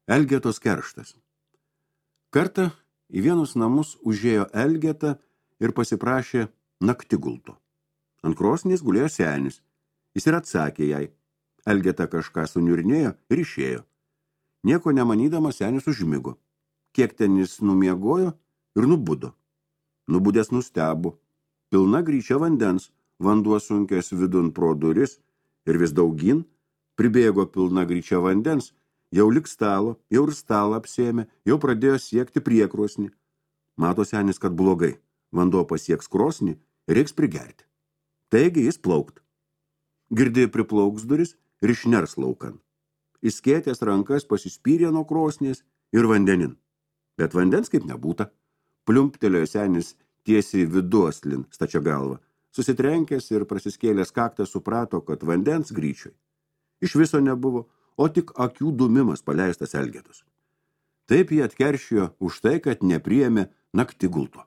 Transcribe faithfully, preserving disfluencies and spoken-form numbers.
Elgetos kerštas. Kartą į vienus namus užėjo Elgeta ir pasiprašė naktigulto. Ant krosnės gulėjo senis. Jis ir atsakė jai. Elgeta kažką suniurnėjo ir išėjo. Nieko nemanydamas senis užmigo. Kiek ten jis numiegojo ir nubudo. Nubudęs nustebo. Pilna gryčia vandens, vanduo sunkęs vidun pro duris ir vis daugin, pribėgo pilna gryčia vandens, jau lik stalo, jau ir stalą apsėmė, jau pradėjo siekti priekrosnį. Mato senis, kad blogai. Vanduo pasieks krosnį ir reiks prigerti. Taigi jis plaukt. Girdėjo priplauks duris ir išners laukan. Įskėtęs rankas pasispyrė nuo krosnės ir vandenin. Bet vandens kaip nebūta. Pliumptelėjo senis tiesiai viduoslin stačia galva. Susitrenkęs ir prasiskėlęs kaktą suprato, kad vandens gryčioj iš viso nebuvo, o tik akių dūmimas paleistas Elgetos. Taip jį atkeršijo už tai, kad nepriėmė naktigulto.